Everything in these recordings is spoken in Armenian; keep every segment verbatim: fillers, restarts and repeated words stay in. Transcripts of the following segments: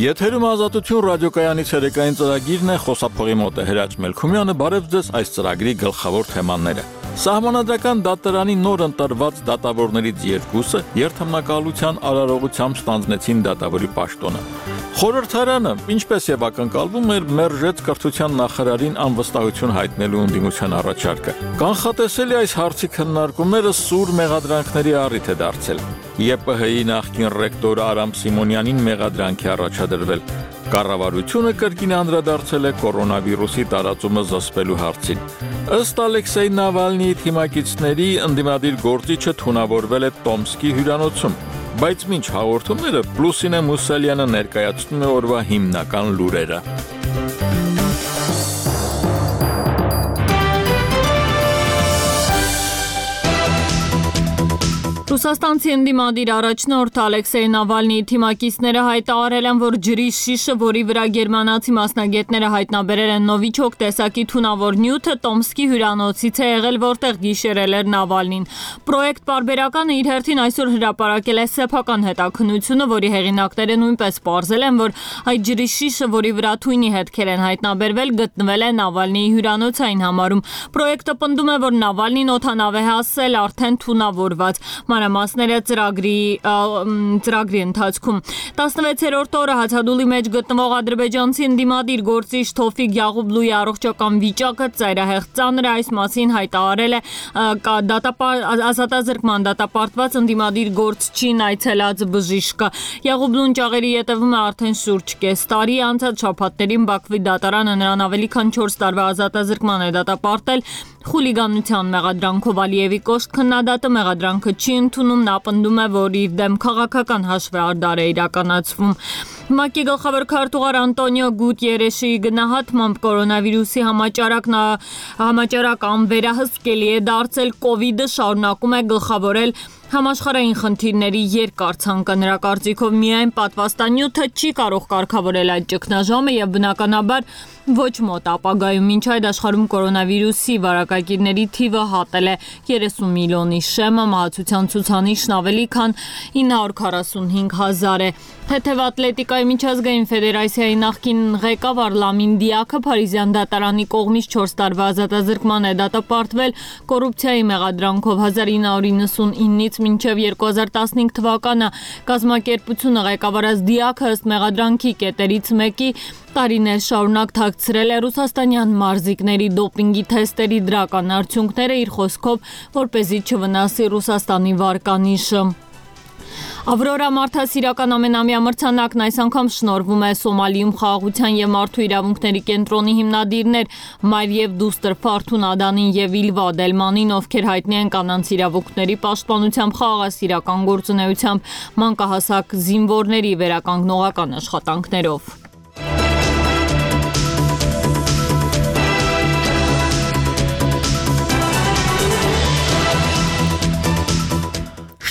Եթերում ազատություն ռադիոկայանից երեկային ծրագիրն է, խոսափողի մոտ է Հրաչ Մելքումյանը, բարև ձեզ այս ծրագրի գլխավոր թեմաները։ Սահմանադրական դատարանի նոր ընտրված դատավորներից երկուսը երթմնակալության արարողությամբ ստանձնեցին դատավորի պաշտոնը։ Խորհրդարանը, ինչպես եւ ակնկալվում էր, մերժեց կրթության նախարարին անվստահություն հայտնելու ընդդիմության առաջարկը։ Կանխատեսելի այս հարցի քննարկումները սուր մեղադրանքների առիթ է դարձել։ ԵՊՀ-ի նախկին ռեկտոր Արամ Սիմոնյանին մեղադրանք է առաջադրվել։ Կառավարությունը կրկին անդրադարձել է կորոնավիրուսի տարածումը զսպելու հարցին։ Ըստ Ալեքսեյ Նավալնիի թիմակիցների ընդդիմադիր գործիչը թունավորվել է Տոմսկի հյուրանոցում, բայց մինչ հաղորդումները Լուսինե Մուսալյանը ներկայացնում է օրվա հիմնական լուրերը։ Ռուսաստանցի ընդդիմադիր առաջնորդ Ալեքսեյ Նավալնիի թիմակիցները հայտարարել են, որ ջրի շիշը, որի վրա գերմանացի մասնագետները հայտնաբերել են նովիչոկ տեսակի թունավոր նյութը, Տոմսկի հյուրանոցից է եղել, որտեղ գիշերել էր Նավալնին։ Պրոյեկտ պարբերականը իր հերթին այսօր հրապարակել է սեփական հետաքննությունը, որի հեղինակները նույնպես պարզել են, որ այդ ջրի շիշը, որի վրա թույնի հետքեր են հայտնաբերվել, գտնվել է Նավալնիի հյուրանոցային համարում։ Պրոյեկտը պնդում է, որ Նավալնին օդանավ է հասել արդեն թունավորված։ Մանրամասները ծրագրի ծրագրի ընթացքում տասնվեցերորդ օրը հացադուլի մեջ գտնվող ադրբեջանցի ընդդիմադիր գործիչ Թոֆիկ Յաղուբլուի առողջական վիճակը ծայրահեղ ծանր է, այս մասին հայտարարել է ազատազրկման դատապարտված ընդդիմադիր գործչին այցելած բժիշկը։ Յաղուբլուն ճաղերի ետևում է արդեն շուրջ կես տարի, անցած շաբաթներին Բաքվի դատարանը նրան ավելի քան չորս տարվա ազատազրկման է դատապարտել խուլիգանության մեղադրանքով։ Ալիևի կոշտ քննադատը մեղադրանքը չի ընդունում, նա պնդում է, որ իր դեմ քաղաքական հաշվեհարդար է իրականացվում։ ՄԱԿ-ի գլխավոր քարտուղար Անտոնիո Գուտիերեշի գնահատմամբ կորոնավիրուսի համաճարակն համաճարակ անվերահսկելի է դարձել, կովիդը շարունակում է գլխավորել համաշխարհային խնդիրների երկար ցանկը։ Նրա կարծիքով միայն պատվաստանյութը չի կարող կարգավորել այդ ճգնաժամը եւ բնականաբար ոչ մոտ ապագայում։ Մինչ այդ աշխարհում կորոնավիրուսի վարակագիրների թիվը հատել է երեսուն միլիոնի շեմը, մահացության ցուցանիշն ավելի քան ինը հարյուր քառասունհինգ հազար է։ Թեթև ատլետիկայի միջազգային ֆեդերացիայի նախկին ղեկավար Լամին Դիակը Փարիզյան դատարանի կողմից չորս տարվա ազատազրկման է դատապարտվել կոռուպցիայի մեղադրանքով։ հազար ինը հարյուր իննսունինից մինչև երկու հազար տասնհինգ թվականը կազմակերպությունը ղեկավարած Դիակը ըստ մեղադրանքի կետերից մեկի տարիներ շարունակ թաքցրել է ռուսաստանյան մարզիկների դոպինգի թեստերի դրական արդյունքները, իր խոսքով, որպեսզի չվնասի Ռուսաստանի վարկանիշը։ Ավրորա մարդասիրական ամենամյա մրցանակն այս անգամ շնորհվում է Սոմալիում խաղաղության եւ մարդու իրավունքների կենտրոնի հիմնադիրներ Մարիև Դուստր Ֆարթուն Ադանին եւ Իլվա Դելմանին, ովքեր հայտնի են կանանց իրավունքների պաշտպանությամբ, խաղաղասիրական գործունեությամբ, մանկահասակ զինվորների վերականգնողական աշխատանքներով։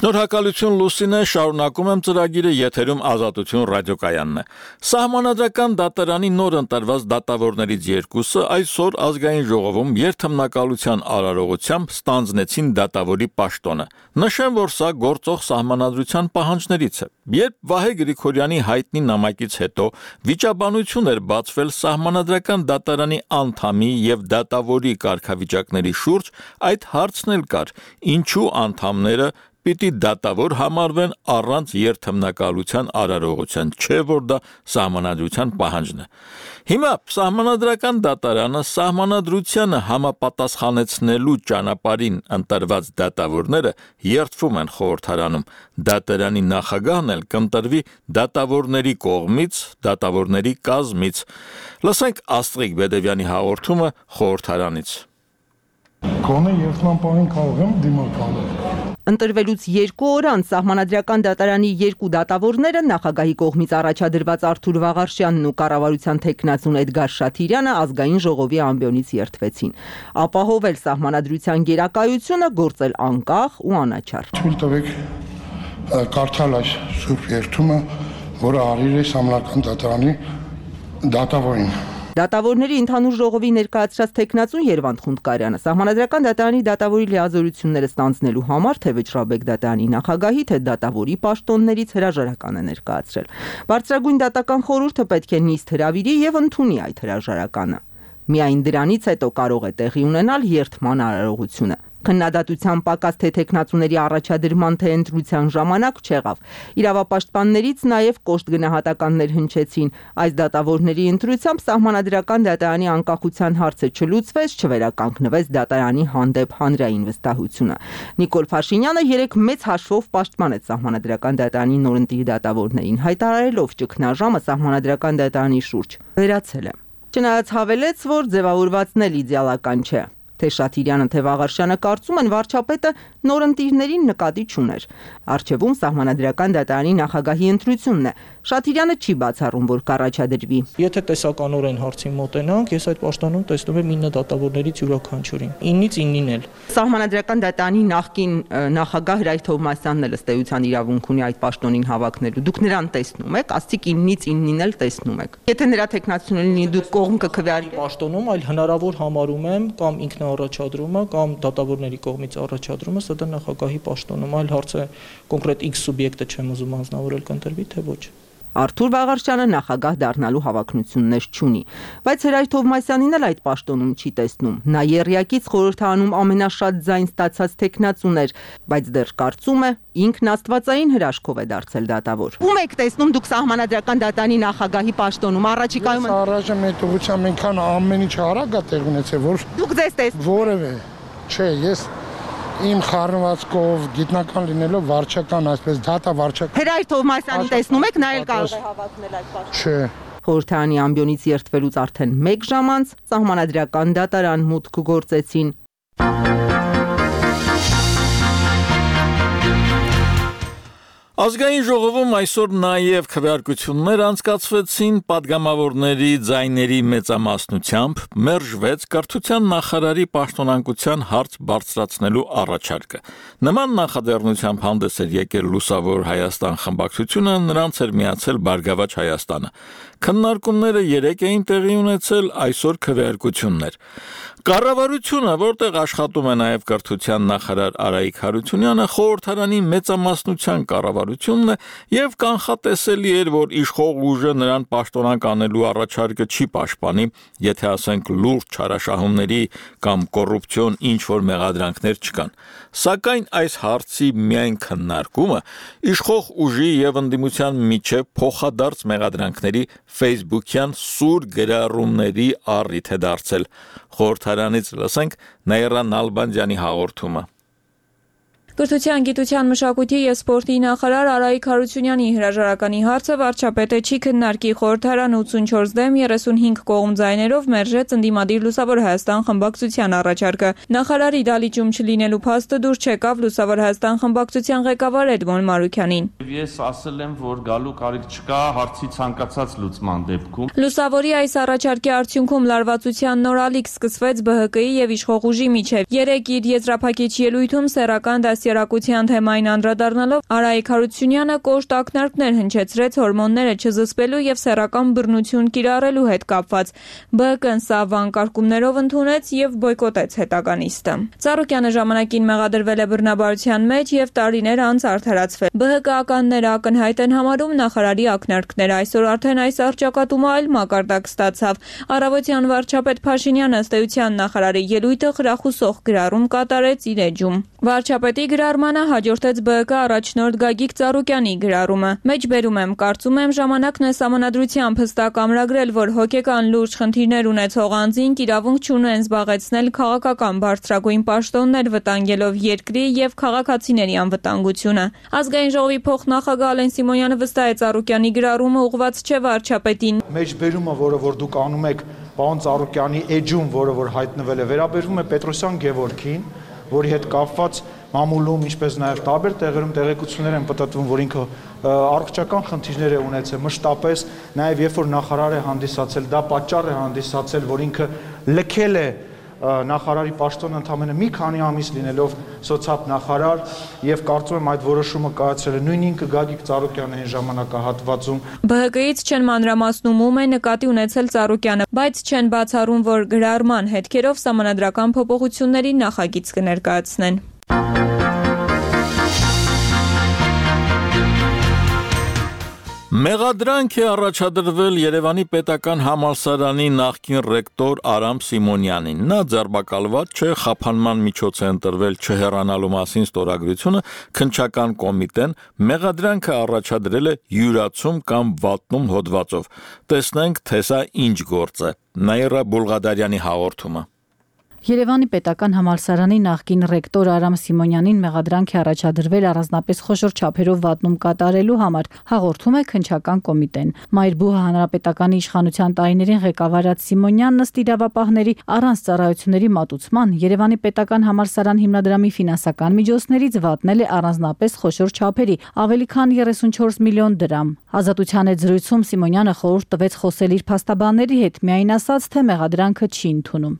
Շնորհակալություն Լուսինե, շարունակում եմ ծրագիրը, եթերում ազատություն ռադիոկայանն է։ Սահմանադրական դատարանի նոր ընտրված դատավորներից երկուսը այսօր ազգային ժողովում երթմնակալության արարողությամբ ստանձնեցին դատավորի պաշտոնը։ Նշեմ, որ սա գործող սահմանադրության պահանջներից է։ Երբ Վահե Գրիգորյանի հայտնի նամակից հետո վիճաբանություն էր բացվել սահմանադրական դատարանի անդամի եւ դատավորի կարգավիճակների շուրջ, այդ հարցն էլ կար. ինչու անդամները պիտի դատավոր համարվեն առանց երթմնակալության արարողության, չէ որ դա սահմանադրության պահանջն է։ Հիմա սահմանադրական դատարանը սահմանադրությանը համապատասխանեցնելու ճանապարհին ընտրված դատավորները երթվում են խորհրդարանում։ Դատարանի նախագահն էլ կընտրվի դատավորների կողմից, դատավորների կազմից։ Լսենք Աստղիկ Բեդևյանի հաղորդումը խորհրդարանից։ Գոնե երթման պահին կարող եմ դիմակայել։ Ընտրվելուց երկու օր անց սահմանադրական դատարանի երկու դատավորները նախագահի կողմից առաջադրված Արթուր Վաղարշյանն ու կառավարության թեկնածուն Էդգար Շաթիրյանը ազգային ժողովի ամբիոնից երթվեցին։ Ապահովել սահմանադրության գերակայությունը, գործել անկախ ու անաչառ։ Թույլ տվեք կարդալ այս սուրբ երթումը, որը արիր է սահմանադրական դատարանի դատավորին։ Դատավորների ընդհանուր ժողովի ներկայացրած տեխնացուն Երվանդ Խունդկարյանը Սահմանադրական դատարանի դատավորի լիազորությունները ստանձնելու համար թե Վճռաբեկ դատարանի նախագահի, թե դատավորի պաշտոններից հրաժարական է ներկայացրել։ Բարձրագույն դատական խորհուրդը պետք է նիստ հրավիրի եւ ընդունի այդ հրաժարականը։ Միայն դրանից հետո կարող է տեղի ունենալ երթման արարողությունը։ Քննադատության պակաս թե տեխնացուների առաջադրման թե ընտրության ժամանակ չեղավ։ Իրավապաշտպաններից նաև կոշտ գնահատականներ հնչեցին։ Այս դատավորների ընտրությամբ Սահմանադրական դատարանի անկախության հարցը չլուծվեց, չվերականգնվեց դատարանի հանդեպ հանրային վստահությունը։ Նիկոլ Փաշինյանը երեք մեծ հաշվով պաշտպանեց Սահմանադրական դատարանի նորընտիր դատավորներին, հայտարարելով ճգնաժամը Սահմանադրական դատարանի շուրջ վերացել է։ Չնայած հավելեց, որ ձևավորվածն էլ իդեալական չէ։ Թե Շաթիրյանը, թե Վաղարշյանը կարծում են վարչապետը նորընտիրներին նկատի չուներ։ Առջևում Սահմանադրական դատարանի նախագահի ընտրությունն է։ Շաթիրյանը չի բացառում, որ կառաջադրվի։ Եթե տեսականորեն հարցին մոտենանք, ես այդ պաշտոնում տեսնում եմ ինը դատավորներից յուրաքանչյուրին։ ինից իննին էլ։ Սահմանադրական դատարանի նախկին նախագահ Հրայր Թովմասյանն էլ ըստ էության իրավունք ունի այդ պաշտոնին հավակնելու։ Դուք նրան տեսնում եք, աստիկ իննից իննին էլ տեսնում եք։ Եթե նրա տեխնացիոնը լինի, դուք կողմ կքվեարի պաշտոնում, այլ հնարավոր համարում եմ կամ ինքն առաջադրումը կամ դատավորների կողմից առաջադրումը սա դա նախագահի պաշտոնում, այլ հարցը կոնկրետ X սուբյեկտը չեմ ուզում անձնավորել կընտրվի, թե ոչ։ Արթուր Վաղարշյանը նախագահ դառնալու հավակնություններ չունի, բայց Հրայր Թովմասյանին էլ այդ պաշտոնում չի տեսնում։ Նա եռյակից խորհրդարանում ամենաշատ ձայն ստացած տեխնացուն էր, բայց դեռ կարծում է ինքն աստվածային հրաշքով է դարձել դատավոր։ Ում եք տեսնում դուք Սահմանադրական դատարանի նախագահի պաշտոնում առաջիկայում։ Առայժմ այդ ուղղությամբ այնքան ամեն ինչ արագ է տեղ ունեցել, որ դուք ձեզ տես որևէ չէ, ես իմ խառնվածքով գիտնական լինելով վարչական, այսպես դատա վարչական։ Հրայր Թովմասյանին տեսնում եք, նա էլ կարող է հավակնել այդ պաշտոնին։ Չէ։ Խորհրդարանի ամբիոնից երթվելուց արդեն մեկ ժամ անց Սահմանադրական դատարան մուտք գործեցին։ Ազգային ժողովում այսօր նաև քվեարկություններ անցկացվեցին падգամավորների ձայների մեծամասնությամբ մերժվեց կրթության նախարարի պաշտոնանկության հարց բարձրացնելու առաջարկը։ Նման նախաձեռնությամբ հանդես էր եկել Լուսավոր Հայաստան խմբակցությունը, նրանց էր միացել Բարգավաճ Հայաստանը։ Քննարկումները երեկ էին տեղի ունեցել, այսօր քվեարկություններ։ Կառավարությունը, որտեղ աշխատում է նաև կրթության նախարար Արայիկ Հարությունյանը, խորհրդարանի մեծամասնության կառավարությունն է եւ կանխատեսելի էր, որ իշխող ուժը նրան պաշտոնանկ անելու առաջարկը չի պաշտպանի, եթե ասենք լուրջ չարաշահումների կամ կոռուպցիոն ինչ որ մեղադրանքներ չկան։ Սակայն այս հարցի միայն քննարկումը իշխող ուժի եւ ընդդիմության միջև փոխադարձ մեղադրանքների Facebook-յան սուր գրառումների առիթ է դարձել։ Խորհրդարանից լսենք Նաիրա Նալբանդյանի հաղորդումը։ Կրթության, գիտության, մշակույթի և սպորտի նախարար Արայիկ Հարությունյանի հրաժարականի հարցը վարչապետը չի քննարկի։ Խորհրդարանը ութսունչորս դեմ երեսունհինգ կողմ ձայներով մերժեց ընդդիմադիր Լուսավոր Հայաստան խմբակցության առաջարկը։ Նախարարի դալիճում չլինելու փաստը դուր չեկավ Լուսավոր Հայաստան խմբակցության ղեկավար Էդմոն Մարուքյանին։ Ես ասել եմ, որ գալու կարիք չկա հարցի ցանկացած լուծման դեպքում։ Լուսավորի այս առաջարկի արդյունքում լարվածության նոր ալիք սկսվեց B H K-ի և իշխող ուժի միջև։ Երեկ իր եզրափակիչ ելույթում սեռական դաստիարակության թեմային անդրադառնալով Արայիկ Հարությունյանը կոշտ ակնարկներ հնչեցրեց հորմոնները չզսպելու և սեռական բռնություն կիրառելու հետ կապված։ B H K-ն սա վանկարկումներով ընդունեց և բոյկոտեց հետագա նիստը։ Ծառուկյանը ժամանակին մեղադրվել է բռնաբարության մեջ և տարիներ անց արդարացվել։ B H K-ականները ակնհայտ են համարում նախարարի ակնարկները։ Այսօր արդեն այս առճակատումը այլ մակարդակ ստացավ։ Առավոտյան վարչապետ Փաշինյանը ըստ էության նախարարի ելույթը խրախուսող գրառում կատարեց իր էջում։ Վարչապետի գրառմանը հաջորդեց B H K առաջնորդ Գագիկ Ծառուկյանի գրառումը։ Մեջբերում եմ, կարծում եմ ժամանակն է սահմանադրությամբ հստակ ամրագրել, որ հոգեկան լուրջ խնդիրներ ունեցող անձինք իրավունք չունեն զբաղեցնել քաղաքական բարձրագույն պաշտոններ վտանգելով երկրի և քաղաքացիների անվտանգությունը։ Ազգային ժողովի փոխնախագահ Ալեն Սիմոնյանը վստահ է Ծառուկյանի գրառումը ուղղված չէ վարչապետին։ Մեջբերումը, որը որ դուք անում եք պարոն Ծառուկյանի էջում, որը որ հայտնվել է, վերաբերվում է Պետրոսյան Գևորգին, որի հետ կապված մամուլում, ինչպես նաև տարբեր տեղերում տեղեկություններ են պտտվում, որ ինքը առողջական խնդիրներ է ունեցել, մշտապես նաև երբ որ նախարար է հանդիսացել, դա պատճառ է հանդիսացել, որ ինքը լքել է նախարարի պաշտոնը ընդամենը մի քանի ամիս լինելով սոցիալ նախարար եւ կարծում եմ այդ որոշումը կայացրել է նույն ինքը Գագիկ Ծառուկյանը այն ժամանակահատվածում։ Բ Հ Կ-ից չեն մանրամասնում ում է նկատի ունեցել Ծառուկյանը, բայց չեն բացառում, որ գրառման հետքերով սահմանադրական փոփոխությունների նախագիծ կներկայացնեն։ Մեղադրանք է առաջադրվել Երևանի պետական համալսարանի նախկին ռեկտոր Արամ Սիմոնյանին։ Նա ձերբակալված չէ, խափանման միջոց է ընտրվել չհեռանալու մասին ստորագրությունը, քննչական կոմիտեն մեղադրանքը առաջադրել է յուրացում կամ վատնում հոդվածով։ Տեսնենք, թե սա ինչ գործ է։ Նաիրա Բուլղադարյանի հաղորդումը։ Երևանի պետական համալսարանի նախկին ռեկտոր Արամ Սիմոնյանին մեղադրանք է առաջադրվել առանձնապես խոշոր չափերով վատնում կատարելու համար, հաղորդում է քննչական կոմիտեն։ Մայրբուհը հանրապետականի իշխանության տարիներին ղեկավարած Սիմոնյանն ըստ իրավապահների առանց ծառայությունների մատուցման Երևանի պետական համալսարան հիմնադրամի ֆինանսական միջոցներից վատնել է առանձնապես խոշոր չափերի, ավելի քան երեսունչորս միլիոն դրամ։ Ազատության հետ զրույցում Սիմոնյանը խորհուրդ տվեց խոսել իր փաստաբանների հետ, միայն ասաց, թե մեղադրանքը չի ընդունում։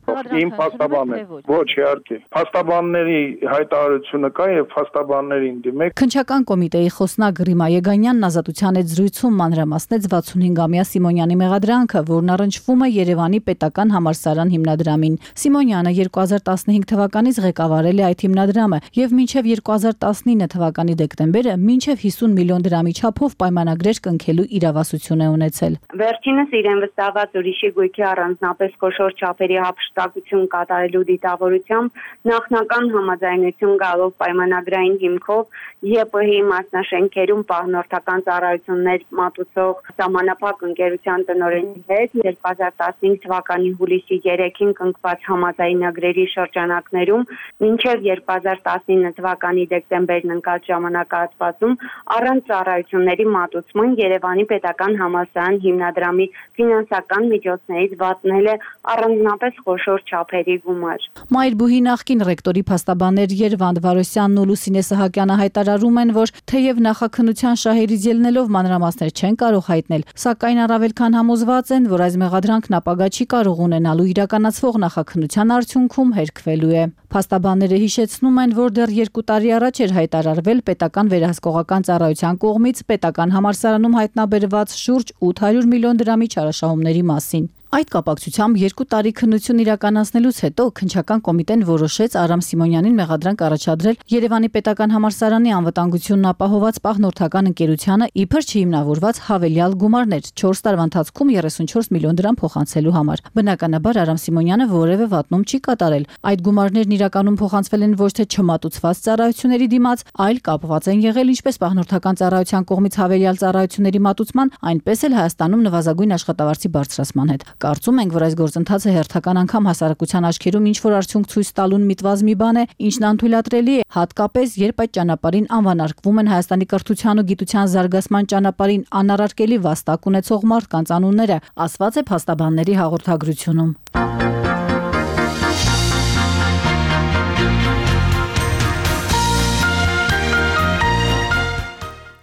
Ոչ, իհարկե։ Փաստաբանների հայտարարությունը կա եւ փաստաբաններին դիմեք։ Քննչական կոմիտեի խոսնակ Ռիմա Եգանյանն ազատության հետ զրույցում մանրամասնեց վաթսունհինգամյա Սիմոնյանի մեղադրանքը, որն առնչվում է Երևանի պետական համալսարան հիմնադրամին։ Սիմոնյանը երկու հազար տասնհինգ թվականից ղեկավարել է այդ հիմնադրամը եւ մինչեւ երկու հազար տասնինը թվականի դեկտեմբերը մինչեւ հիսուն միլիոն դրամի չափով պայմանագրեր կնքելու իրավասություն է ունեցել։ Վերջինս իրեն վստահված ուրիշի գույքի առանձնապես խոշոր չափերի հափշտակություն կատարելու դիտավորությամբ նախնական համաձայնություն գալով պայմանագրային հիմքով Ե Պ Հ-ի մասնաշենքերում պահնորդական ծառայություններ մատուցող սահմանափակ ընկերության տնօրենի հետ երկու հազար տասնհինգ թվականի հուլիսի երեքին կնքված համաձայնագրերի շրջանակներում մինչև երկու հազար տասնինը թվականի դեկտեմբերն ընկած ժամանակահատվածում առանց ծառայությունների մատուցման Երևանի պետական համալսարան հիմնադրամի ֆինանսական միջոցներից վատնել է առանձնապես խոշոր չափերի գումար։ Մայրբուհի նախկին ռեկտորի փաստաբաններ Երվանդ Վարոսյանն ու Լուսինե Սահակյանը հայտարարում են, որ թեև նախաքննության շահերից ելնելով մանրամասներ չեն կարող հայտնել, սակայն առավել քան համոզված են, որ այս մեղադրանքն ապագա չի կարող ունենալու իրականացվող նախաքննության արդյունքում հերքվելու է։ Փաստաբանները հիշեցնում են, որ դեռ երկու տարի առաջ էր հայտարարվել պետական վերահսկողական ծառայության կողմից պետական համալսարանում հայտնաբերված շուրջ ութ հարյուր միլիոն դրամի չարաշահումների մասին։ Այդ կապակցությամբ երկու տարի քննություն իրականացնելուց հետո քննչական կոմիտեն որոշեց Արամ Սիմոնյանին մեղադրանք առաջադրել Երևանի պետական համալսարանի անվտանգությունն ապահովված պահնորդական ընկերությանը իբր չհիմնավորված հավելյալ գումարներ չորս տարվա ընթացքում երեսունչորս միլիոն դրամ փոխանցելու համար։ Բնականաբար Արամ Սիմոնյանը որևէ վատնում չի կատարել։ Այդ գումարներն իրականում փոխանցվել են ոչ թե չմատուցված ծառայությունների դիմաց, այլ կապված են եղել ինչպես պահնորդական ծառայության կողմից հավելյալ ծառայությունների մատուցման, այնպես էլ Հայաստանում նվազագույն աշխատավարձի բարձրացման հետ։ Կարծում ենք, որ այս գործընթացը հերթական անգամ հասարակության աչքերում ինչ-որ արդյունք ցույց տալուն միտված մի բան է, ինչն անթույլատրելի է, հատկապես երբ այդ ճանապարհին անվանարկվում են Հայաստանի կրթության ու գիտության զարգացման ճանապարհին անառարկելի վաստակ ունեցող մարդկանց անունները, ասված է փաստաբանների հաղորդագրությունում։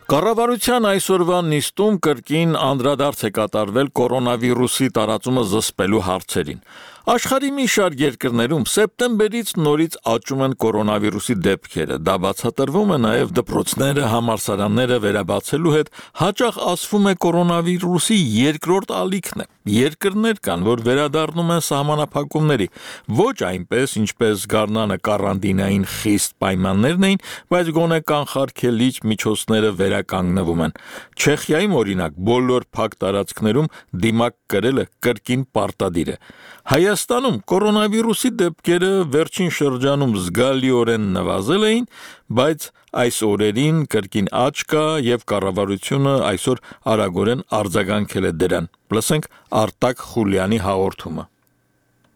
Կառավարության այսօրվա նիստում կրկին անդրադարձ է կատարվել կորոնավիրուսի տարածումը զսպելու հարցերին։ Աշխարհի մի շարք երկրներում սեպտեմբերից նորից աճում են կորոնավիրուսի դեպքերը։ Դա բացատրվում է նաև դպրոցները, համալսարանները վերաբացելու հետ հաճախ ասվում է կորոնավիրուսի երկրորդ ալիքն է։ Երկրներ կան, որ վերադառնում են սահմանափակումների, ոչ այնպես, ինչպես գարնանը կարանտինային խիստ պայմաններն էին, բայց գոնե կանխարգելիչ միջոցները վերականգնվում են։ Չեխիայում օրինակ բոլոր փակ տարածքներում դիմակ կրելը կրկին պարտադիր է։ Հայաստանում կորոնավիրուսի դեպքերը վերջին շրջանում զգալիորեն նվազել էին, բայց այս օրերին կրկին աճ կա եւ կառավարությունը այսօր արագորեն արձագանքել է դրան։ Լսենք Արտակ Խուլյանի հաղորդումը։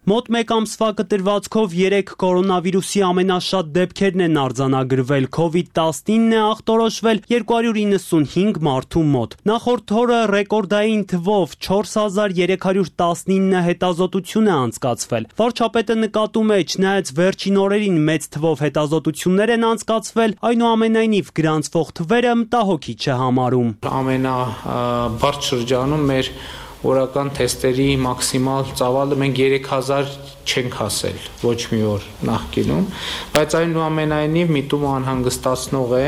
Մոտ մեկ ամսվա կտրվածքով երեք կորոնավիրուսի ամենաշատ դեպքերն են արձանագրվել, քովիդ տասնինն է ախտորոշվել երկու հարյուր իննսունհինգ մարդու մոտ։ Նախորդ օրը ռեկորդային թվով չորս հազար երեք հարյուր տասնինը հետազոտություն է անցկացվել։ Վարչապետը նկատում է, չնայած վերջին օրերին մեծ թվով հետազոտություններ են անցկացվել, այնուամենայնիվ գրանցվող թվերը մտահոգիչ է համարում։ Ամենաբարձր շրջանում մեր օրական թեստերի մաքսիմալ ծավալը մենք երեք հազար չենք հասել ոչ մի օր նախկինում, բայց այնուամենայնիվ միտումը անհանգստացնող է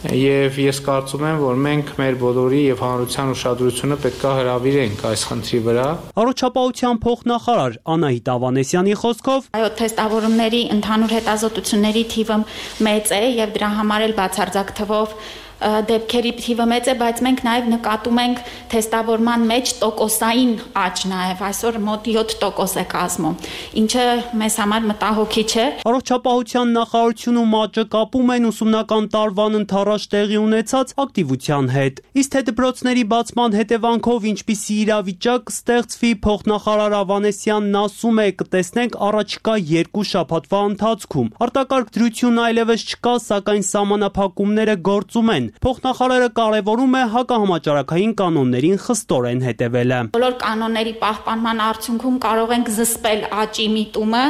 Եվ ես կարծում եմ, որ մենք մեր բոլորի եւ հանրության ուշադրությունը պետք է հրավիրենք այս խնդրի վրա։ Առողջապահության փոխնախարար Անահիտ Ավանեսյանի խոսքով, այո, թեստավորումների ընդհանուր հետազոտությունների թիվը մեծ է եւ դրա համար էլ բացարձակ թվով դեպքերի թիվը մեծ է, բայց մենք նաև նկատում ենք թեստավորման մեջ տոկոսային աճ նաև այսօր մոտ յոթ տոկոս է կազմում, ինչը մեզ համար մտահոգիչ է։ Առողջապահության նախարարությունում աճը կապում են ուսումնական տարվան ընթառաջ տեղի ունեցած ակտիվության հետ։ Իսկ թե դպրոցների բացման հետևանքով ինչպիսի իրավիճակ կստեղծվի, փոխնախարար Ավանեսյանն ասում է, կտեսնենք առաջիկա երկու շաբաթվա ընթացքում։ Արտակարգ դրություն այլևս չկա, սակայն սահմանափակումները գործում են։ Փոխնախարարը կարևորում է հակահամաճարակային կանոններին խստորեն հետևելը։ Բոլոր կանոնների պահպանման արդյունքում կարող ենք զսպել աճի միտումը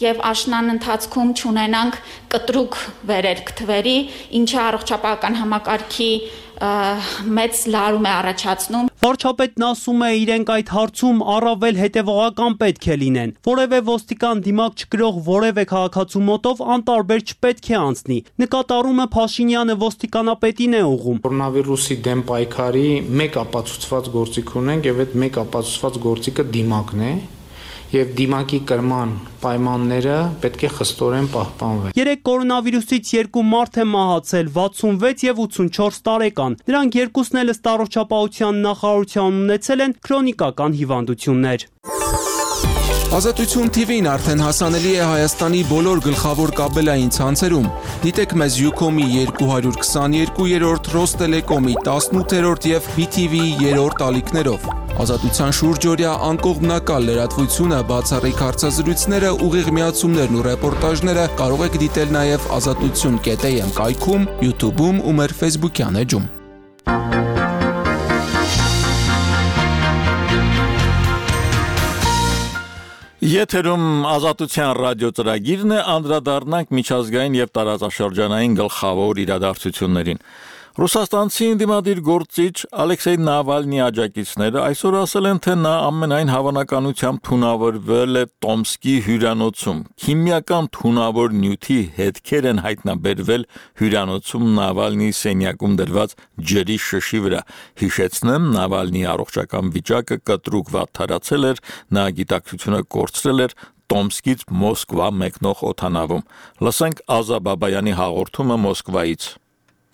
եւ աշնան ընթացքում չունենանք կտրուկ վերերք թվերի, ինչը առողջապահական համակարգի մեծ լարում է առաջացնում։ Վարչապետն ասում է, իրենք այդ հարցում առավել հետևողական պետք է լինեն։ Որևէ ոստիկան դիմակ չկրող որևէ քաղաքացու մոտով անտարբեր չպետք է անցնի։ Նկատառումը Փաշինյանը ոստիկանապետին է ուղղում։ Կորոնավիրուսի դեմ պայքարի մեկ ապացուցված գործիք ունենք եւ այդ մեկ ապացուցված գործիքը դիմակն է։ Եվ դիմակի կրման պայմանները պետք է խստորեն պահպանվեն։ Երեք կորոնավիրուսից երկու մարդ է մահացել, վաթսունվեց եւ ութսունչորս տարեկան։ Նրանք երկուսն էլ ըստ առողջապահության նախարարության ունեցել են քրոնիկական հիվանդություններ։ Ազատություն թիվին արդեն հասանելի է Հայաստանի բոլոր գլխավոր կաբելային ցանցերում։ Դիտեք մեզ Ucom-ի երկու հարյուր քսաներկուերորդ, Ռոստելեկոմի տասնութերորդ եւ B T V-ի երրորդ ալիքներով։ Ազատության շուրջօրյա անկողմնակալ լրատվությունը, բացառիկ հարցազրույցները, ուղիղ միացումներն ու ռեպորտաժները կարող եք դիտել նաև ազատություն կետ am կայքում, YouTube-ում ու մեր Facebook-յան էջում։ Եթերում ազատության ռադիո ծրագիրն է, անդրադառնանք միջազգային եւ տարածաշրջանային գլխավոր իրադարձություններին։ Ռուսաստանցի ընդդիմադիր գործիչ Ալեքսեյ Նավալնի աջակիցները այսօր ասել են, թե նա ամենայն հավանականությամբ թունավորվել է Տոմսկի հյուրանոցում։ Քիմիական թունավոր նյութի հետքեր են հայտնաբերվել հյուրանոցում Նավալնի սենյակում դրված ջրի շշի վրա։ Հիշեցնեմ, Նավալնի առողջական վիճակը կտրուկ վատթարացել էր, նա գիտակցությունը կորցրել էր Տոմսկից Մոսկվա մեկնող օդանավում։ Լսենք Ազա Բաբայանի հաղորդումը Մոսկվայից։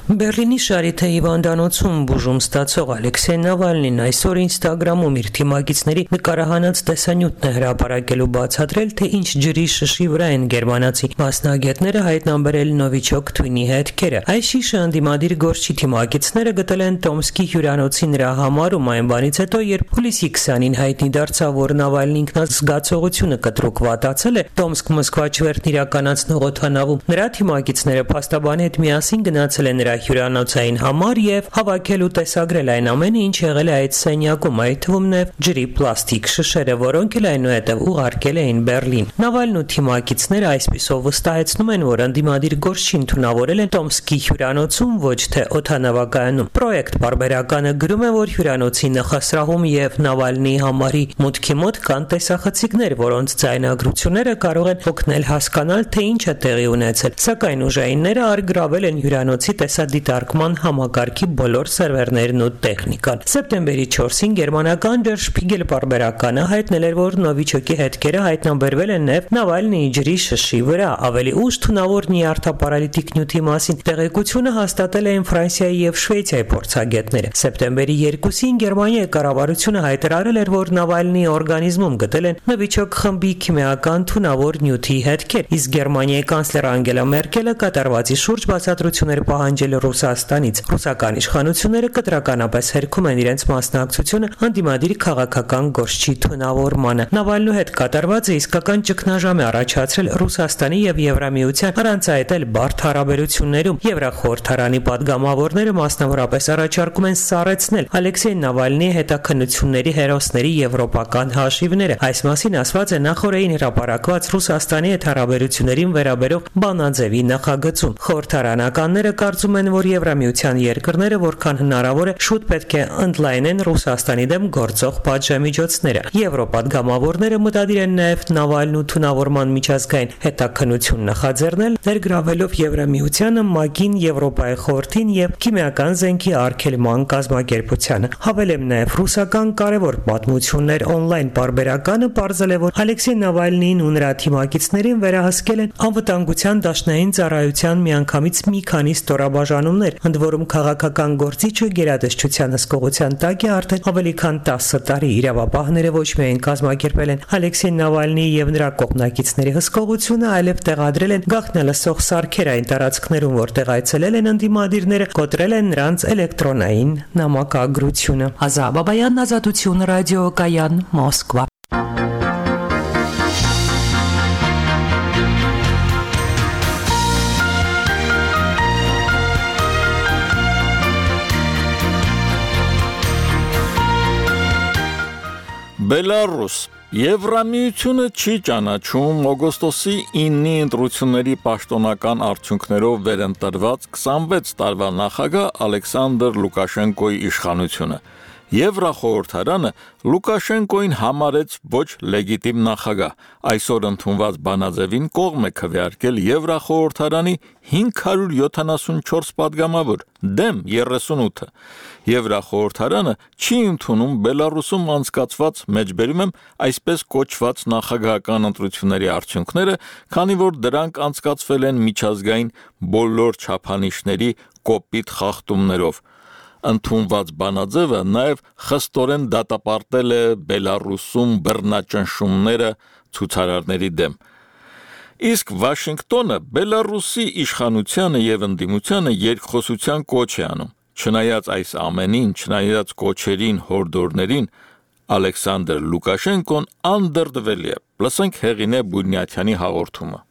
Բերլինի Շարիթե հիվանդանոցում բուժում ստացող Ալեքսեյ Նավալնին այսօր Ինստագրամում իր թիմակիցների նկարահանած տեսանյութն է հրապարակելու բացատրել, թե ինչ ջրի շշի վրա են գերմանացի մասնագետները հայտնաբերել նովիչոկ թույնի հետքերը։ Այս շիշը ընդդիմադիր գործչի թիմակիցները գտել են Տոմսկի հյուրանոցի նրա համարում այն բանից հետո, երբ հուլիսի քսանին հայտնի դարձավ, որ Նավալնի ինքնազգացողությունը կտրուկ վատացել է Տոմսկ-Մոսկվա չվերթն իրականացնող օդանավում։ Նրա թիմակիցները փաստաբանի հետ միասին գնացել են նրա հյուրանոցային համար եւ հավաքել ու տեսագրել այն ամենը, ինչ եղել է այդ սենյակում, այդ թվում նաեւ ջրի պլաստիկ շշերը, որոնք էլ այնուհետեւ ուղարկել էին Բերլին։ Նավալն ու թիմակիցները այսպիսով վստահեցնում են, որ ընդդիմադիր գործչին թունավորել են Տոմսկի հյուրանոցում, ոչ թե օդանավակայանում։ Պրոյեկտ բարբերականը գրում է, որ հյուրանոցի նախասրահում եւ Նավալնի համարի մուտքի մոտ կան տեսախցիկներ, որոնց ձայնագրությունները կարող են օգնել հասկանալ, թե ինչ է տեղի ունեցել։ Սակայն ուժայինները արգրավել են հյուրանոցի տեսադիտարկման համակարգի բոլոր սերվերներն ու տեխնիկան։ Սեպտեմբերի չորսին գերմանական Der Spiegel պարբերականը հայտնել էր, որ նովիչոկի հետքերը հայտնաբերվել են նաև Նավալնիի ջրի շշի վրա։ Ավելի ուշ թունավոր նյարդապարալիտիկ նյութի մասին տեղեկությունը հաստատել էին Ֆրանսիայի եւ Շվեյցիայի փորձագետները։ Սեպտեմբերի երկուսին Գերմանիայի կառավարությունը հայտարարել էր, որ Նավալնիի օրգանիզմում գտել են նովիչոկ խմբի քիմիական թունավոր նյութի հետքեր, իսկ Գերմանիայի կանցլեր Անգելա Մերկելը կատարվածի շուրջ բացատրություններ պահանջել Ռուսաստանից։ Ռուսական իշխանությունները կտրականապես հերքում են իրենց մասնակցությունը ընդդիմադիր քաղաքական գործչի թունավորմանը։ Նավալնու հետ կատարվածը իսկական ճգնաժամ է առաջացրել Ռուսաստանի եւ Եվրամիության առանց այդ էլ բարդ հարաբերություններում։ Եվրախորհրդարանի падգամավորները մասնավորապես առաջարկում են սառեցնել Ալեքսեյ Նավալնիի հետաքննությունների հերոսների եվրոպական հաշիվները։ Այս մասին ասված է նախորդին հրապարակված Ռուսաստանի հետ հարաբերություններին վերաբերող բանաձևի նախագծում։ Խորհրդարանականները կարծում ասում են, որ Եվրամիության երկրները որքան հնարավոր է շուտ պետք է ընդլայնեն Ռուսաստանի դեմ գործող պատժամիջոցները։ Եվրոպադգամավորները մտադիր են նաև Նավալնու թունավորման միջազգային հետաքննություն նախաձեռնել, ներգրավելով Եվրամիությանը, ՄԱԿ-ին, Եվրոպայի խորհրդին եւ քիմիական զենքի արգելման կազմակերպությանը։ Հավելեմ նաև ռուսական կարևոր պատմություններ on-line պարբերականը պարզել է, որ Ալեքսեյ Նավալնիին ու նրա թիմակիցներին վերահսկել են անվտանգության դաշնային ծառայության միանգամից մի քանի ստորաբաժանումներ, ընդ որում քաղաքական գործիչը գերատեսչության հսկողության տակ է արդեն ավելի քան տասը տարի։ Իրավապահները ոչ միայն կազմակերպել են Ալեքսեյ Նավալնիի եւ նրա կողմնակիցների հսկողությունը, այլև տեղադրել են գաղտնալսող սարքեր այն տարածքներում, որտեղ այցելել են ընդդիմադիրները, կոտրել են նրանց էլեկտրոնային նամակագրությունը։ Ազա Բաբայան, Ազատություն ռադիոկայան, Մոսկվա։ Բելարուս Եվրամիությունը չի ճանաչում օգոստոսի իննի ընտրությունների պաշտոնական արդյունքներով վերընտրված քսանվեց տարվա նախագահ Ալեքսանդր Լուկաշենկոյի իշխանությունը։ Եվրախորհրդարանը Լուկաշենկոին համարեց ոչ լեգիտիմ նախագահ։ Այսօր ընդունված բանաձևին կողմ է քվեարկել Եվրախորհրդարանի հինգ հարյուր յոթանասունչորս падգամավոր, դեմ երեսունութը։ Եվրախորհրդարանը չի ընդունում Բելարուսում անցկացված մեջբերում եմ այսպես կոչված նախագահական ընտրությունների արդյունքները, քանի որ դրանք անցկացվել են միջազգային բոլոր չափանիշների կոպիտ խախտումներով։ Ընդունված բանաձևը նաև խստորեն դատապարտել է Բելարուսում բռնաճնշումները ցուցարարների դեմ։ Իսկ Վաշինգտոնը Բելարուսի իշխանությանը եւ ընդդիմությանը երկխոսության կոչ է անում։ Չնայած այս ամենին, չնայած կոչերին, հորդորներին, Ալեքսանդր Լուկաշենկոն անդրդվելի է։ Լսենք Հեղինե Բունյաթյանի հաղորդումը։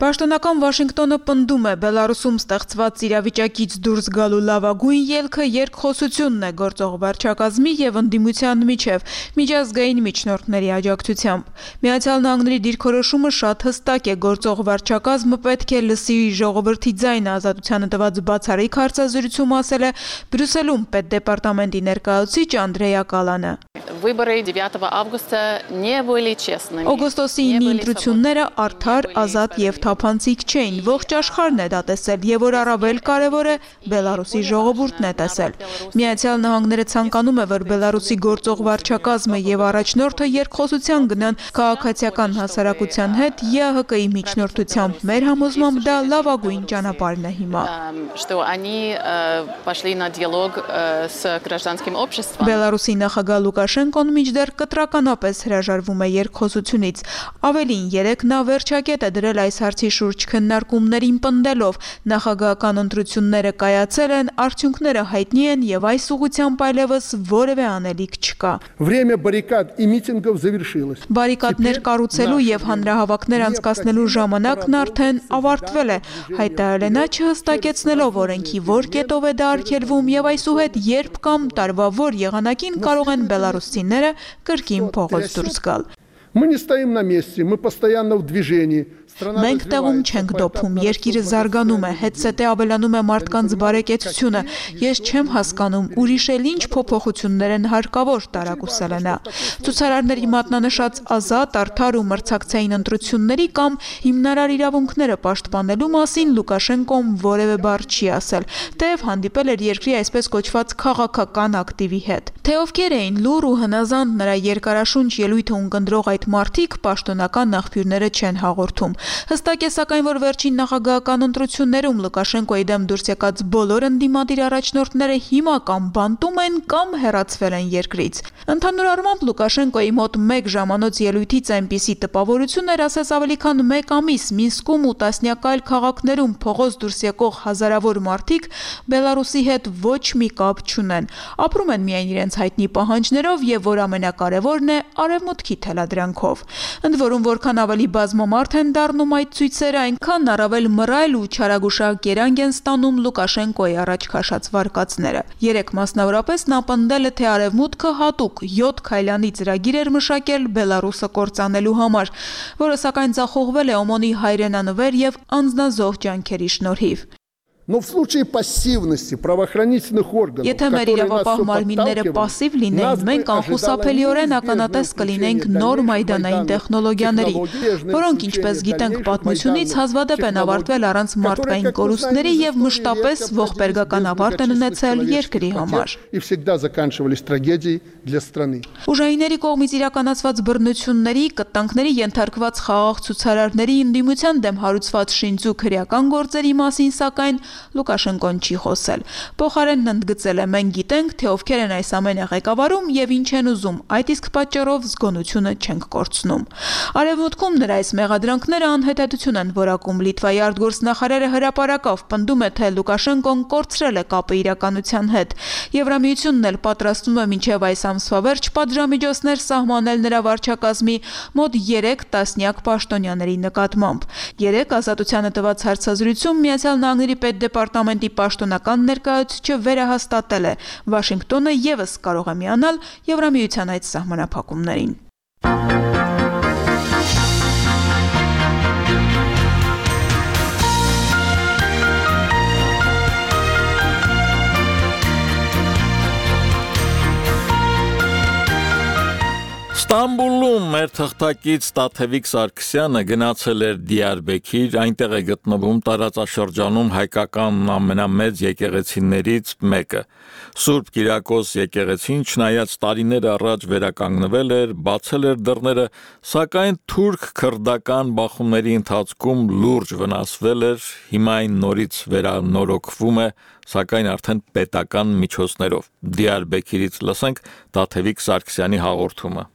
Պաշտոնական Վաշինգտոնը պնդում է Բելարուսում ստեղծված իրավիճակից դուրս գալու լավագույն ելքը երկխոսությունն է գործող վարչակազմի եւ ընդդիմության միջև միջազգային միջնորդների աջակցությամբ։ Միացյալ Նահանգների դիրքորոշումը շատ հստակ է, գործող վարչակազմը պետք է լսի ժողովրդի ձայնը, Ազատությանը տված բացառիկ հարցազրույցում ասել է Բրյուսելում պետդեպարտամենտի ներկայացուցիչ Անդրեյա Կալանը։ Օգոստոսի իննի ընտրությունները արդար, ազատ եւ թափանցիկ չէին, ողջ աշխարհն է դա տեսել եւ որ առավել կարեւոր է Բելարուսի ժողովուրդն է տեսել։ Միացյալ Նահանգները ցանկանում է, որ Բելարուսի գործող վարչակազմը եւ առաջնորդը երկխոսության գնան քաղաքացիական հասարակության հետ ԵԱՀԿ-ի միջնորդությամբ։ Մեր համոզմամբ դա լավագույն ճանապարհն է հիմա։ Բելարուսի նախագահ Լուկաշենկոն մինչդեռ կտրականապես հրաժարվում է երկխոսությունից։ Ավելին, երեք նա վերջակետ է դրել այս հարցի շուրջ քննարկումներին պնդելով նախագահական ընտրությունները կայացել են, արդյունքները հայտնի են եւ այս ուղղությամբ այլևս որևէ անելիք չկա։ Բարիկադներ կառուցելու եւ հանրահավաքներ անցկացնելու ժամանակն արդեն ավարտվել է, հայտարարել է նա, չհստակեցնելով օրենքի որ կետով է դա արգելվում եւ այսուհետ երբ կամ տարվա որ եղանակին կարող են բելարուսցիները կրկին փողոց դուրս գալ։ Мы не стоим на месте, мы постоянно в движении. Մենք տեղում չենք դոփում, երկիրը զարգանում է, հետսետե ավելանում է մարդկանց բարեկեցությունը։ Ես չեմ հասկանում, ուրիշ էլ ինչ փոփոխություններ են հարկավոր, տարակուսել է նա։ Ցուցարարների մատնանշած ազատ, արդար ու մրցակցային ընտրությունների կամ հիմնարար իրավունքները պաշտպանելու մասին Լուկաշենկոն որևէ բառ չի ասել, թեև հանդիպել էր երկրի այսպես կոչված քաղաքական ակտիվի հետ։ Թե ովքեր էին լուր ու հնազանդ նրա երկարաշունչ ելույթը ունկնդրող այդ մարդիկ պաշտոնական աղբյուրները չեն հաղորդում։ Հստակ է սակայն, որ վերջին նախագահական ընտրություններում Լուկաշենկոյի դեմ դուրս եկած բոլոր ընդդիմադիր առաջնորդները հիմա կամ բանտում են կամ հեռացվել են երկրից։ Ընդհանուր առմամբ Լուկաշենկոյի մոտ մեկ ժամանոց ելույթից այնպիսի տպավորություն էր, ասես ավելի քան մեկ ամիս Մինսկում ու տասնյակ այլ քաղաքներում փողոց դուրս եկող հազարավոր մարդիկ Բելարուսի հետ ոչ մի կապ չունեն։ Ապրում են միայն իրենց հայտնի պահանջներով եւ որ ամենակարևորն է արևմուտքի թելադրանքով։ Ընդ որում որքան ավելի բազմամարդ են դառնում այդ ցույցերը, այնքան առավել մռայլ ու չարագուշակ երանգ են ստանում Լուկաշենկոյի առաջ քաշած վարկածները։ Երեք մասնավորապես նա պնդել է, թե արևմուտքը հատուկ յոթ քայլանի ծրագիր էր մշակել Բելարուսը կործանելու համար, որը սակայն ձախողվել է Օմոնի հայրենանվեր եւ անձնազոհ ջանքերի շնորհիվ։ Но в случае пассивности правоохранительных органов, Եթե մեր իրավապահ մարմինները пասիվ լինեին, մենք անխուսափելիորեն ականատես կլինենք նոր մայդանային տեխնոլոգիաների, որոնք, ինչպես գիտենք պատմությունից, հազվադեպ են ավարտվել առանց մարդկային կորուստների եւ մշտապես ողբերգական ավարտ են ունեցել երկրի համար։ и всегда заканчивались трагедией для страны. Ուժայինների կողմից իրականացված բռնությունների, կտանքների ենթարկված խաղաղ ցուցարարների ընդդիմության դեմ հարուցված շինծու քրեական գործերի մասին, սակայն Լուկաշենկոն չի խոսել։ Փոխարենն ընդգծել է. մենք գիտենք, թե ովքեր են այս ամենը ղեկավարում եւ ինչ են ուզում, այդ իսկ պատճառով զգոնությունը չենք կորցնում։ Արևմուտքում նրա այս մեղադրանքները անհետեթություն են որակում։ Լիտվայի արտգործնախարարը հրապարակավ պնդում է, թե Լուկաշենկոն կորցրել է կապը իրականության հետ։ Եվրամիությունն էլ պատրաստվում է մինչև այս ամսվա վերջ պատժամիջոցներ սահմանել նրա վարչակազմի մոտ երեք տասնյակ պաշտոնյաների նկատմամբ։ Երեք ազատությանը տված հարցազրույցում Միացյալ Նահանգների պետդեպարտամենտի պաշտոնական ներկայացուցիչը վերահաստատել է. Վաշինգտոնը ևս կարող է միանալ Եվրամիության այդ սահմանափակումներին։ Ստամբուլում մեր թղթակից Տաթևիկ Սարգսյանը գնացել էր Դիարբեքիր, այնտեղ է գտնվում տարածաշրջանում հայկական ամենամեծ եկեղեցիներից մեկը։ Սուրբ Կիրակոս եկեղեցին, չնայած տարիներ առաջ վերականգնվել էր, բացել էր դռները, սակայն թուրք-քրդական բախումների ընթացքում լուրջ վնասվել էր, հիմա այն նորից վերանորոգվում է, սակայն արդեն պետական միջոցներով։ Դիարբեքիրից լսենք Տաթևիկ Սարգսյանի հաղորդումը։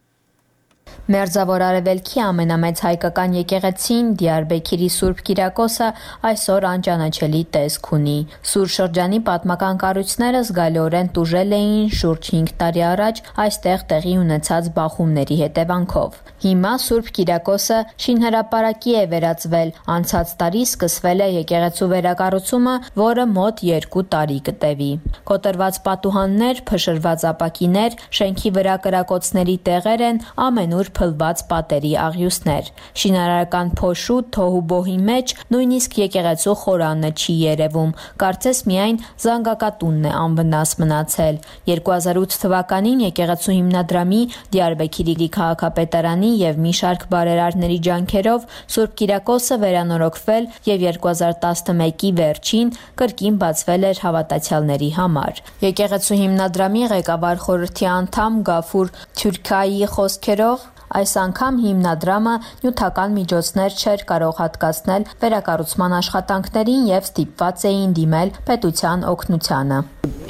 Մերձավոր Արևելքի ամենամեծ հայկական եկեղեցին Դիարբեքիրի Սուրբ Կիրակոսը այսօր անճանաչելի տեսք ունի։ Սուր շրջանի պատմական կառույցները զգալիորեն տուժել էին շուրջ հինգ տարի առաջ այստեղ տեղի ունեցած բախումների հետևանքով։ Հիմա Սուրբ Կիրակոսը շինհրապարակի է վերածվել։ Անցած տարի սկսվել է եկեղեցու վերակառուցումը, որը մոտ երկու տարի կտևի։ Կոտրված պատուհաններ, փշրված ապակիներ, շենքի վրա կրակոցների տեղեր են, ամենուր փլված պատերի աղյուսներ։ Շինարարական փոշու թոհուբոհի մեջ նույնիսկ եկեղեցու խորանը չի երևում, կարծես միայն զանգակատունն է անվնաս մնացել։ երկու հազար ութ թվականին եկեղեցու հիմնադրամի Դիարբեքիրի քաղաքապետարանի եւ մի շարք բարերարների ջանքերով Սուրբ Կիրակոսը վերանորոգվել եւ երկու հազար տասնմեկի վերջին կրկին բացվել էր հավատացյալների համար։ Եկեղեցու հիմնադրամի ղեկավար խորհրդի անդամ Գաֆուր Թյուրքայի խոսքերով այս անգամ հիմնադրամը նյութական միջոցներ չէր կարող հատկացնել վերակառուցման աշխատանքներին եւ ստիպված էին դիմել պետության օգնությանը։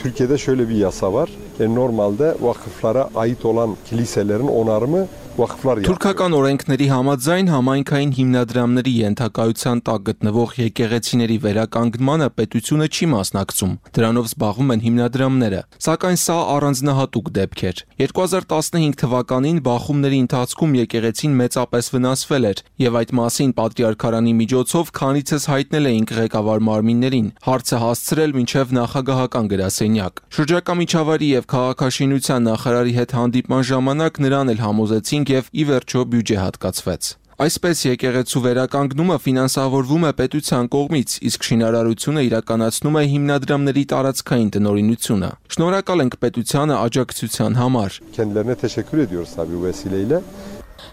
Türkiye'de şöyle bir yasa var. E, normalde vakıflara ait olan kiliselerin onarımı vakıflar yapıyor. Թուրքական օրենքների համաձայն համայնքային հիմնադրամների ենթակայության տակ գտնվող եկեղեցիների վերականգնմանը պետությունը չի մասնակցում։ Դրանով զբաղվում են հիմնադրամները, սակայն սա առանձնահատուկ դեպք էր։ երկու հազար տասնհինգ թվականին բախումների ընթացքում եկեղեցին մեծապես վնասվել էր, եւ այդ մասին պատրիարքարանի միջոցով քանիցս հայտնել էինք ղեկավար մարմիններին, հարցը հասցրել մինչև նախագահական գրասենյակ։ Շրջակա միջավայրի եւ քաղաքաշինության նախարարի հետ հանդիպման ժամանակ նրան էլ համոզեցին եւ ի վերջո բյուջե հատկացվեց։ Այսպես եկեղեցու վերականգնումը ֆինանսավորվում է պետության կողմից, իսկ շինարարությունը իրականացնում է հիմնադրամների տարածքային տնօրինությունը։ Շնորհակալ ենք պետությանը աջակցության համար։ Kendilerine teşekkür ediyoruz tabii bu vesileyle.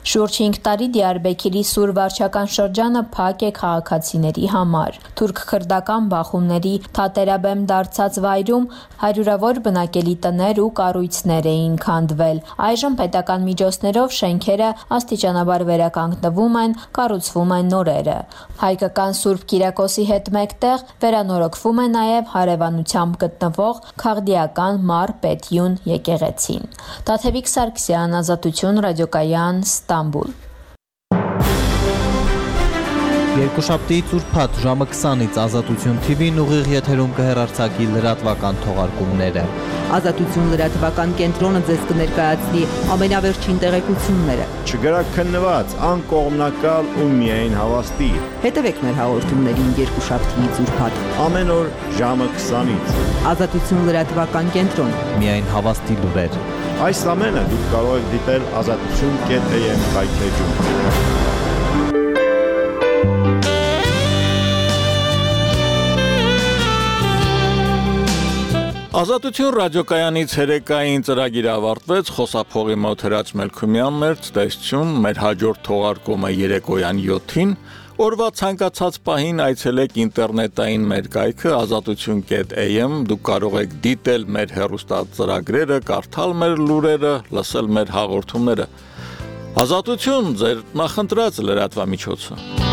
Շուրջ հինգ տարի Դիարբեքիրի սուր վարչական շրջանը փակ է քաղաքացիների համար։ Թուրք-քրդական բախումների թատերաբեմ դարձած վայրում հարյուրավոր բնակելի տներ ու կառույցներ էին քանդվել։ Այժմ պետական միջոցներով շենքերը աստիճանաբար վերականգնվում են, կառուցվում են նորերը։ Հայկական Սուրբ Կիրակոսի հետ մեկտեղ վերանորոգվում է նաև հարևանությամբ գտնվող Քաղդիական Մար Պետյուն եկեղեցին։ Տաթևիկ Սարգսյան, Ազատություն, ռադիոկայան, Ստամբուլ։ Երկուշաբթիից ուրբաթ ժամը քսանից Ազատություն Թի Վին ուղիղ եթերում կհեռարձակի լրատվական թողարկումները։ Ազատություն լրատվական կենտրոնը ձեզ կներկայացնի ամենավերջին տեղեկությունները։ Չգրաքննված, անկողմնակալ ու միայն հավաստի։ Հետևեք մեր հաղորդումներին երկուշաբթիից ուրբաթ ամեն օր ժամը քսանից։ Ազատություն լրատվական կենտրոն։ Միայն հավաստի լուրեր։ Այս ամենը դուք կարող եք դիտել ազատություն կետ էմ կայքեջում։ Ազատություն ռադիոկայանի ցերեկային ծրագիրը ավարտվեց, խոսափողի մոտ Հրաչ Մելքումյանն էր, ցտեսություն, մեր հաջորդ թողարկումը երեկոյան յոթին, օրվա ցանկացած պահին այցելեք ինտերնետային մեր կայքը ազատություն կետ a m, դուք կարող եք դիտել մեր հեռուստածրագրերը, կարդալ մեր լուրերը, լսել մեր հաղորդումները։ Ազատություն, ձեր նախընտրած լրատվամիջոցը։